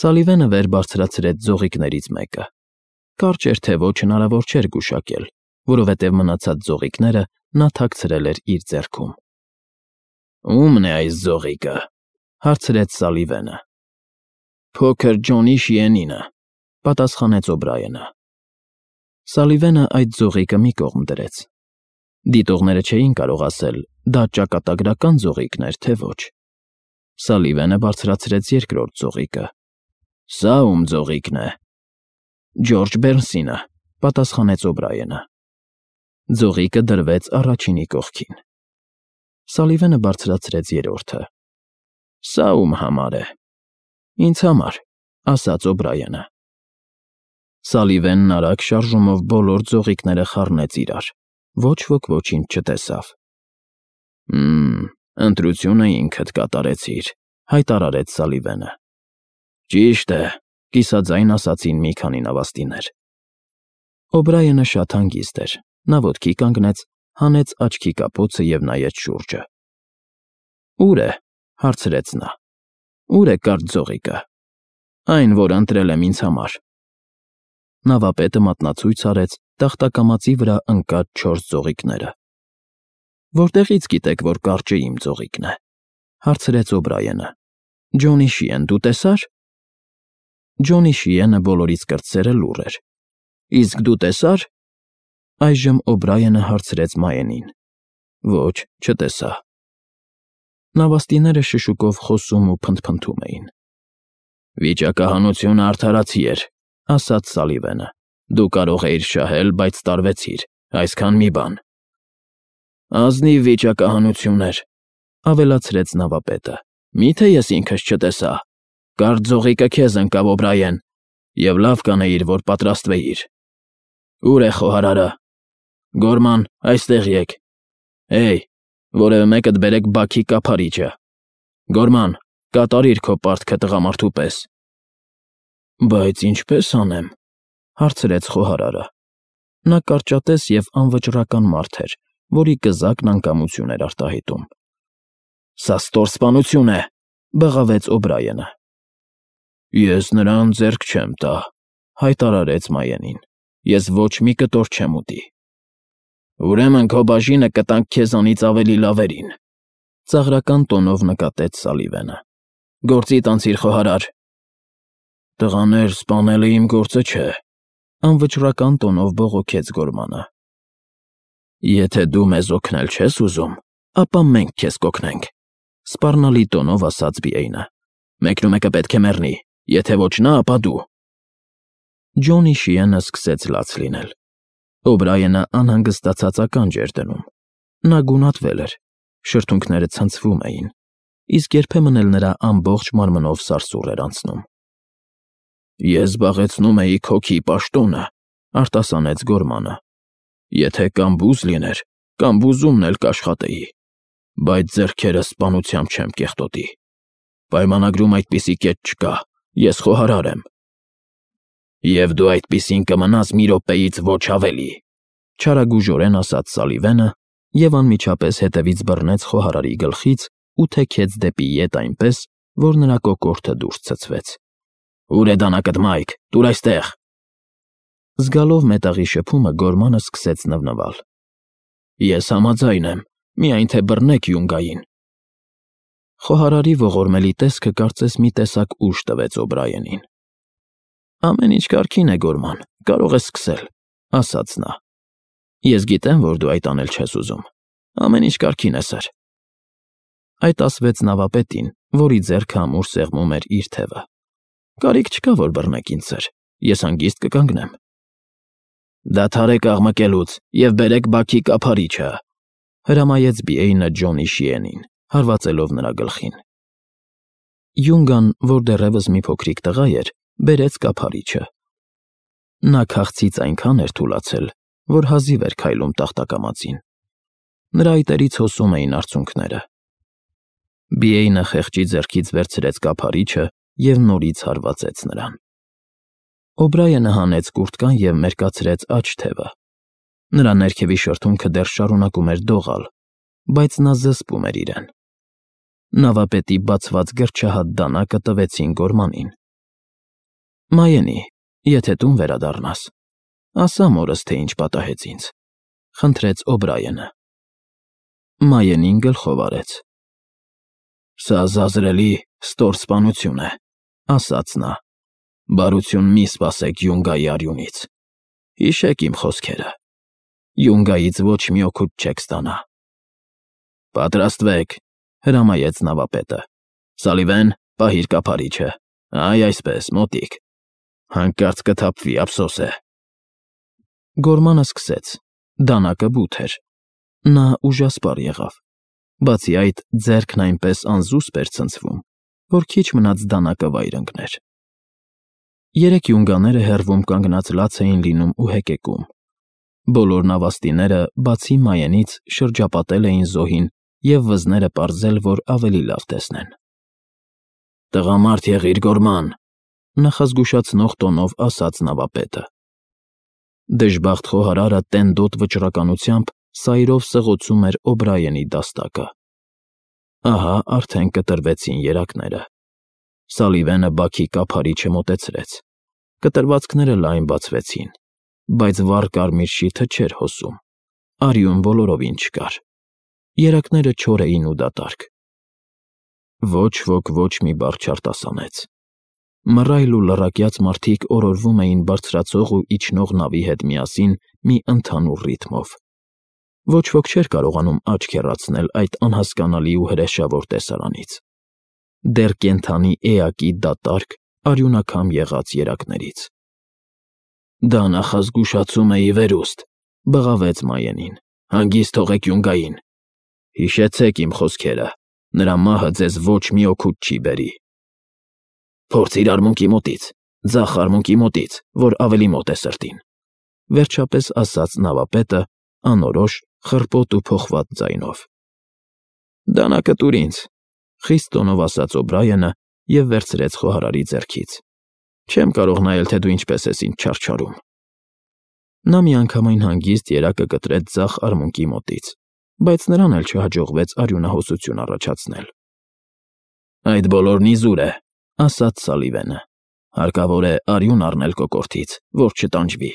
Սալիվենը վեր բարձրացրեց ձողիկներից մեկը։ Կարճ էր թե ոչ հնարավոր չէր գուշակել, որովհետև մնացած ձողիկները նա թաքցրել էր իր ձեռքում։ Ո՞ւմն է այս ձողիկը, հարցրեց Սալիվենը։ Փոքր Ջոնի Շիենինը, պատասխանեց Օ'Բրայենը։ Սալիվենը այդ ձողիկը մի կողմ դրեց։ Դիտողները չէին կարող ասել, դա ճակատագրական ձողիկն էր, թե ոչ։ Սալիվենը բարձրացրեց երկրորդ ձողիկը։ Սա ում ձողիկն է։ Ջորջ Բերնսինը, պատասխանեց Օ'Բրայենը։ Ձողիկը դրվեց առաջինի կողքին։ Սալիվենը բարձրացրեց երրորդը։ Սա ում համար է։ Ինձ համար, ասաց Օ'Բրայենը։ Սալիվենն արագ շարժումով բոլոր ձողիկները խառնեց իրար։ Ոչ ոք ոչինչ չտեսավ։ Ընտրությունը ինքդ կատարեցիր, հայտարարեց Սալիվենը։ Ճիշտ է, կիսաձայն ասացին մի քանի նավաստիներ։ Օ'Բրայենը շատ հանգիստ էր։ Նա ոտքի կանգնեց, հանեց աչքի կապոցը և նայեց շուրջը։ Ուր է, հարցրեց նա։ Ուր է կարճ ձողիկը։ Այն, որ ընտրել եմ ինձ համար։ Նավապետը մատնացույց արեց տախտակամածի վրա ընկած 4 ձողիկները։ Որտեղից գիտեք, որ կարճը իմ ձողիկն է, հարցրեց Օ'Բրայենը։ Ջոնի Շիեն դու տեսար։ Ջոնի Շիենը բոլորից կրտսերը լուռ էր։ Իսկ դու տեսար։ Այժմ Օ'Բրայենը հարցրեց Մայենին։ Ոչ, չտեսա։ Նավաստիները շշուկով խոսում ու փնթփնթում էին։ Վիճակահանությունը արդարացի էր, ասաց Սալիվենը։ Դու կարող էիր շահել, բայց տարվեցիր, այսքան մի բան։ Ազնիվ վիճակահանություն էր, ավելացրեց նավապետը։ Միթե ես ինքս չտեսա։ Կարճ ձողիկը քեզ ընկավ, Օ'Բրայեն, և լավ կանեիր, որ պատրաստվեիր։ Ուր է խոհարարը։ Գորման, այստեղ եկ։ Հեյ, որևէ մեկդ բերեք բաքի կափարիչը։ Գորման, կատարիր քո պարտքը տղամարդու պես։ Բայց ինչպես անեմ, հարցրեց խոհարարը։ Նա կարճատես և անվճռական մարդ էր, որի կզակն անկամություն էր արտահայտում։ Սա ստորսպանություն է, բղավեց Օ'Բրայենը։ Ես նրան ձեռք չեմ տա, հայտարարեց Մայենին։ Ես ոչ մի կտոր չեմ ուտի։ Ուրեմն քո բաժինը կտանք քեզանից ավելի լավերին, ծաղրական տոնով նկատեց Սալիվենը։ Գործիդ անցիր, խոհարար։ Տղաներ, սպանելը իմ գործը չէ, անվճռական տոնով բողոքեց Գորմանը։ Եթե դու մեզ օգնել չես ուզում, ապա մենք քեզ կօգնենք, սպառնալի տոնով ասաց Բիեյնը։ Մեկնումեկը պետք է մեռնի, եթե ոչ նա, ապա դու։ Ջոնի Շիենը սկսեց լաց լինել։ Օ'Բրայենը անհանգստացած ականջ էր դնում։ Նա գունատվել էր, շրթունքները ցնցվում էին, իսկ երբեմն էլ նրա ամբողջ մարմնով սարսուռ էր անցնում։ Ես զբաղեցնում էի քոքի պաշտոնը, արտասանեց Գորմանը։ Եթե կամ բուզ լիներ, կամ բուզումն էլ կաշխատեի, բայց ձեռքերս սպանությամբ չեմ կեղտոտի։ Պայմանագրում այդպիսի կետ չկա, ես խոհարար եմ։ Եվ դու այդպիսին կմնաս մի րոպեից ոչ ավելի, չարագուժորեն ասաց Սալիվենը և անմիջապես հետևից բռնեց խոհարարի գլխից ու թեքեց դեպի ետ այնպես, որ նրա կոկորդը դուրս ցցվեց։ Ուր է դանակդ, Մայք, տուր այստեղ։ Զգալով մետաղի շփումը Գորմանը սկսեց նվնվալ։ Ես համաձայն եմ, միայն թե բռնեք Յունգային։ Խոհարարի ողորմելի տեսքը կարծես մի տեսակ ուժ տվեց Օ'Բրայենին։ Ամեն ինչ կարգին է, Գորման, կարող ես սկսել, ասաց նա։ Ես գիտեմ, որ դու այդ անել չես ուզում։ Ամեն ինչ կարգին է, սըր։ Այդ ասվեց նավապետին, որի ձեռքը ամուր սեղմում էր իր թևը։ Կարիք չկա, որ բռնեք ինձ, սըր, ես հանգիստ կկանգնեմ։ Դադարեք աղմկելուց և բերեք բաքի կափարիչը, հրամայեց Բիեյնը Ջոնի Շիենին, հարվածելով նրա գլխին։ Յունգան, որ դեռևս մի փոքրիկ տղա էր, բերեց կափարիչը։ Նա քաղցից այնքան էր թուլացել, որ հազիվ էր քայլում տախտակամածին։ Նրա այտերից հոսում էին արցունքները։ Բիեյնը խեղճի ձեռքից վերցրեց կափարիչը և նորից հարվածեց նրան։ Օ'Բրայենը հանեց կուրտկան և մերկացրեց աջ թևը։ Նրա ներքևի շրթունքը դեռ շարունակում էր դողալ, բայց նա զսպում էր իրեն։ Նավապետի բացված գրչահատ դանակը տվեցին Գորմանին։ Մայենի, եթե տուն վերադառնաս, ասա մորս, թե ինչ պատահեց ինձ, խնդրեց Օբրայենը։ Մայենին գլխով արեց։ Սա զազրելի ստոր սպանություն է, ասաց նա։ Բարություն մի սպասեք Յունգայի արյունից։ Հիշեք իմ խոսքերը։ Յունգայից ոչ մի օգուտ չեք ստանա։ Պատրաստվեք, հրամայեց նավապետը։ Սալիվեն, պահիր կափարիչը։ Այ այսպես, մոտիկ։ Հանկարծ կթափվի, ափսոս է։ Գորմանը սկսեց։ Դանակը բութ էր։ Նա ուժասպառ եղավ։ Բացի այդ, ձեռքն այնպես անզուսպ էր ցնցվում, որ քիչ մնաց դանակը վայր ընկներ։ Երեք յունգաները հեռվում կանգնած լաց էին լինում ու հեկեկում։ Բոլոր նավաստիները, բացի Մայենից, շրջապատել էին զոհին և վզները պարզել, որ ավելի լավ տեսնեն։ Տղամարդ եղիր, Գորման, նախազգուշացնող տոնով ասաց նավապետը։ Դժբախտ խոհարարը տենդոտ վճռականությամբ սայրով սղոցում էր Օբրայենի դաստակը։ Ահա արդեն կտրվեցին երակները։ Սալիվենը բաքի կափարիչը մոտեցրեց։ Կտրվածքները լայն բացվեցին, բայց վառ կարմիր շիթը չէր հոսում։ Արյուն բոլորովին չկար։ Երակները չոր էին ու դատարկ։ Ոչ ոք ոչ մի բառ չարտասանեց։ Մռայլ ու լռակյաց մարդիկ օրորվում էին բարձրացող ու իջնող նավի հետ միասին մի ընդհանուր ռիթմով։ Ոչ ոք չէր կարողանում աչք հեռացնել այդ անհասկանալի ու հրեշավոր տեսարանից։ Դեռ կենդանի էակի դատարկ, արյունաքամ եղած երակներից։ Դա նախազգուշացում է ի վերուստ, բղավեց Մայենին։ Հանգիստ թողեք Յունգային։ Հիշեցեք իմ խոսքերը, նրա մահը ձեզ ոչ մի օգուտ չի բերի։ Փորձիր արմունկի մոտից, ձախ արմունկի մոտից, որ ավելի մոտ է սրտին, վերջապես ասաց նավապետը, անորոշ, խռպոտ ու փոխված ձայնով։ Դանակը տուր ինձ, խիստ տոնով ասաց Օբրայենը և վերցրեց խոհարարի ձեռքից։ Չեմ կարող նայել, թե դու ինչպես ես ինձ չարչարում։ Նա միանգամայն հանգիստ երակը կտրեց ձախ արմունկի մոտից, բայց նրան էլ չհաջողվեց արյունահոսություն առաջացնել։ Այդ բոլորն իզուր է, ասաց Սալիվենը։ Հարկավոր է արյուն առնել կոկորդից, որ չտանջվի։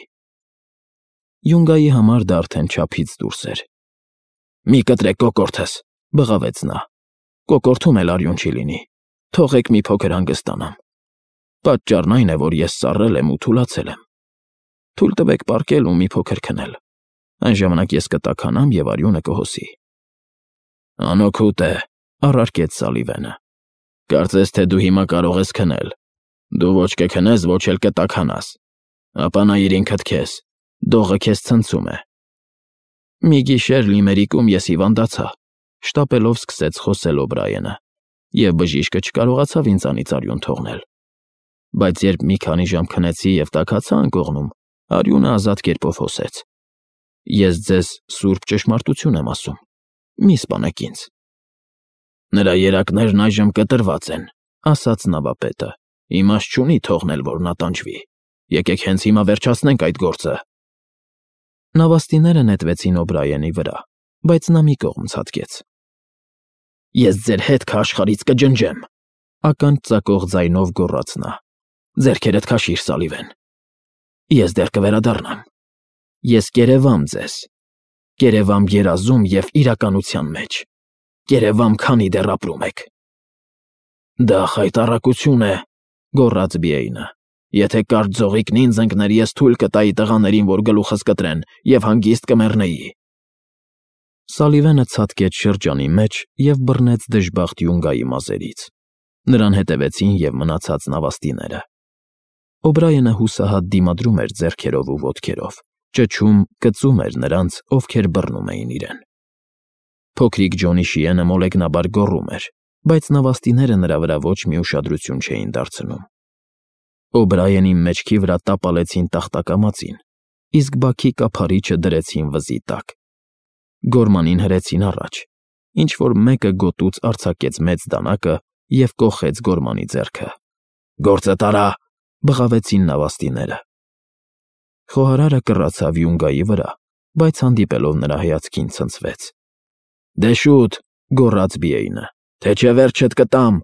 Յունգայի համար դա արդեն չափից դուրս էր։ Մի կտրեք կոկորդս, բղավեց նա։ Կոկորդում էլ արյուն չի լինի։ Թողեք մի փոքր հանգստանամ։ Պատճառն այն է, որ ես սառել եմ ու թուլացել եմ։ Թույլ տվեք պառկել ու մի փոքր քնել։ Այն ժամանակ ես կտաքանամ և արյունը կհոսի։ Անօգուտ է, առարկեց Սալիվենը։ Կարծես թե դու հիմա կարող ես քնել։ Դու ոչ կքնես, ոչ էլ կտաքանաս։ Ապա նայիր ինքդ քեզ, դողը քեզ ցնցում է։ Մի գիշեր լիմերիկում ես հիվանդացա, շտապելով սկսեց խոսել Օբրայենը, և բժիշկը չկարողացավ ինձանից արյուն թողնել։ Բայց երբ մի քանի ժամ քնեցի և տաքացա անկողնում, արյունը ազատ կերպով հոսեց։ Ես ձեզ սուրբ ճշմարտություն եմ ասում։ Մի սպանեք ինձ։ Նրա երակներն այժմ կտրված են, ասաց նավապետը։ Իմաստ չունի թողնել, որ նա տանջվի։ Եկեք հենց հիմա վերջացնենք այդ գործը։ Նավաստիները նետվեցին Օբրայենի վրա, բայց նա մի կողմ ցատկեց։ Ես ձեր հետքը աշխարհից կջնջեմ, ականջ ծակող ձայնով գոռաց նա։ Ձեռքերդ քաշիր, Սալիվեն։ Ես դեռ կվերադառնամ։ Ես կերևամ ձեզ։ Կերևամ երազում և իրականության մեջ։ Կերևամ, քանի դեռ ապրում եք։ Դա խայտառակություն է, գոռաց Բիեյնը։ Եթե կարճ ձողիկն ինձ ընկներ, ես թույլ կտայի տղաներին, որ գլուխս կտրեն, և հանգիստ կմեռնեի։ Սալիվենը ցատկեց շրջանի մեջ և բռնեց դժբախտ Յունգայի մազերից։ Նրան հետևեցին և մնացած նավաստիները։ Օբրայենը հուսահատ դիմադրում էր ձեռքերով ու ոտքերով, ճչում, կծում էր նրանց, ովքեր բռնում էին իրեն։ Փոքրիկ Ջոնի Շիենը մոլեգնաբար գոռում էր, բայց նավաստիները նրա վրա ոչ մի ուշադրություն չէին դարձնում։ Օբրայենի մեջքի վրա տապալեցին տախտակամածին, իսկ բաքի կափարիչը դրեցին վզի տակ։ Գորմանին հրեցին առաջ, ինչ-որ մեկը գոտուց արձակեց մեծ դանակը և կոխեց Գորմանի ձեռքը։ Գործը տարա, բղավեցին նավաստիները։ Խոհարարը կռացավ Յունգայի վրա, բայց հանդիպելով նրա հայացքին ցնցվեց։ Դե շուտ, գոռաց Բիեյնը, թե չէ վերջդ կտամ։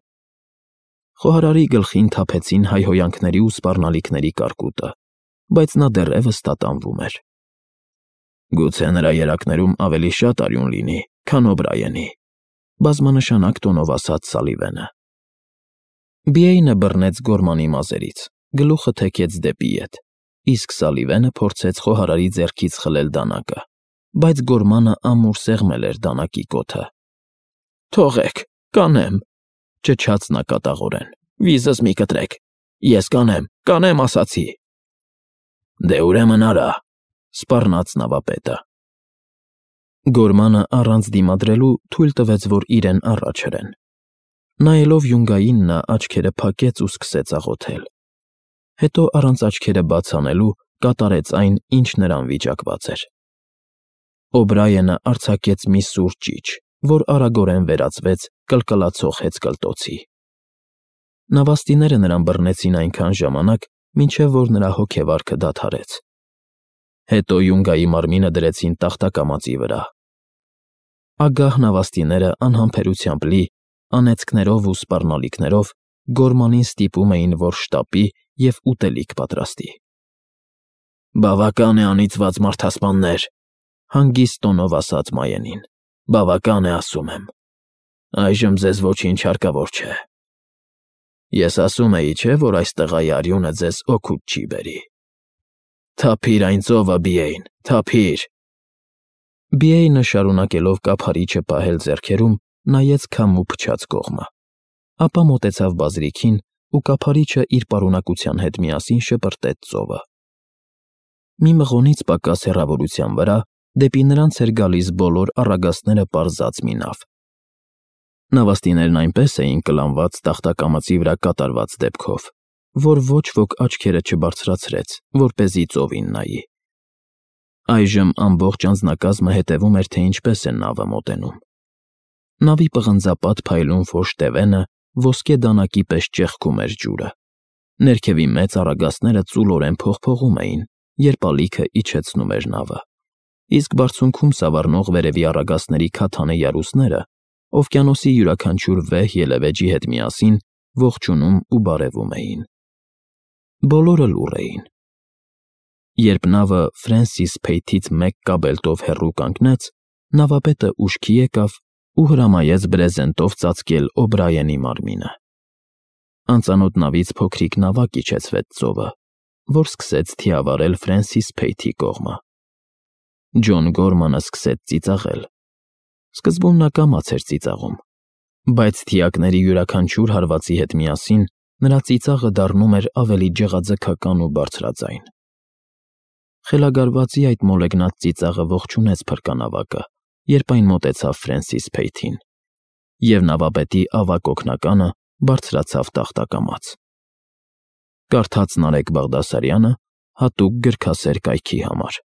Խոհարարի գլխին թափեցին հայհոյանքների ու սպառնալիքների կարկուտը, բայց նա դեռևս տատանվում էր։ Գուցե նրա երակներում ավելի շատ արյուն լինի, քան Օբրայենի, բազմանշանակ տոնով ասաց Սալիվենը։ Բիեյնը բռնեց Գորմանի մազերից, գլուխը թեքեց դեպի ետ, իսկ Սալիվենը փորձեց խոհարարի ձեռքից խլել դանակը, բայց Գորմանը ամուր սեղմել էր դանակի կոթը։ Թողեք, կանեմ, ճչաց նա կատաղորեն։ Վիզս մի կտրեք։ Ես կանեմ ասացի։ Դե ուրեմն արա, սպառնաց նավապետը։ Գորմանը առանց դիմադրելու թույլ տվեց, որ իրեն առաջ հրեն։ Նայելով Յունգային նա աչքերը փակեց ու սկսեց աղոթել։ Հետո առանց աչքերը բաց անելու կատարեց այն, ինչ նրան վիճակված էր։ Օբրայենը արձակեց մի սուր ճիչ, որ արագորեն վերածվեց կլկլացող հեծկլտոցի։ Նավաստիները նրան բռնեցին այնքան ժամանակ, մինչև որ նրա հոգեվարքը դադարեց։ Հետո Յունգայի մարմինը դրեցին տախտակամածի վրա։ Ագահ նավաստիները անհամբերությամբ լի, անեծքներով ու սպառնալիքներով Գորմանին ստիպում էին, որ շտապի և ուտելիք պատրաստի։ Բավական է անիծված մարդասպաններ, հանգիստ տոնով ասաց Մայենին։ Բավական է, ասում եմ։ Այժմ ձեզ ոչինչ հարկավոր չէ։ Ես ասում էի, չէ, որ այս տղայի արյունը ձեզ օգուտ չի բերի։ Թափիր այն ծովը, Բիեյն, թափիր։ Բիեյնը շարունակելով կափարիչը պահել ձեռքերում, նայեց քամու փչած կողմը, ապա մոտեցավ բազրիքին ու կափարիչը իր պարունակության հետ միասին շպրտեց ծովը։ Մի մղոնից պակաս հեռավորության վրա դեպի նրանց էր գալիս բոլոր առագաստները պարզած մի նավ։ Նավաստիներն այնպես էին կլանված տախտակամածի վրա կատարված դեպքով, որ ոչ ոք աչքերը չբարձրացրեց, որպեսզի ծովին նայի։ Այժմ ամբողջ անձնակազմը հետևում էր, թե ինչպես է նավը մոտենում։ Նավի պղնձապատ փայլուն ֆոշ տևենը ոսկե դանակի պես ճեղքում էր ջուրը։ Ներքևի մեծ առագաստները ծուլորեն փողփողում էին, երբ ալիքը իջեցնում էր նավը, իսկ բարձունքում սավառնող վերևի առագաստների քաթանե յարուսները օվկիանոսի յուրաքանչյուր վեհ ելևէջի հետ միասին ողջունում ու բարևում էին։ Բոլորը լուռ էին։ Երբ նավը Ֆրենսիս Փեյթից մեկ կաբելտով հեռու կանգնեց, նավապետը ուշքի եկավ ու հրամայեց բրեզենտով ծածկել Օբրայենի մարմինը։ Անծանոթ նավից փոքրիկ նավակ իջեցվեց ծովը, որ սկսեց թիավարել Ֆրենսիս Փեյթի կողմը։ Ջոն Գորմանը սկսեց ծիծաղել։ Սկզբում նա կամաց էր ծիծաղում, բայց թիակների յուրաքանչյուր հարվածի հետ միասին նրա ծիծաղը դառնում էր ավելի ջղաձգական ու բարձրաձայն։ Խելագարվածի այդ մոլեգնած ծիծաղը ողջունեց փրկանավակը, երբ այն մոտեցավ Ֆրենսիս Փեյթին, և նավապետի ավագ օգնականը բարձրացավ տախտակամաց։ Կարդաց Նարեկ Բաղդասարյանը հատուկ գրքասեր կայքի համար։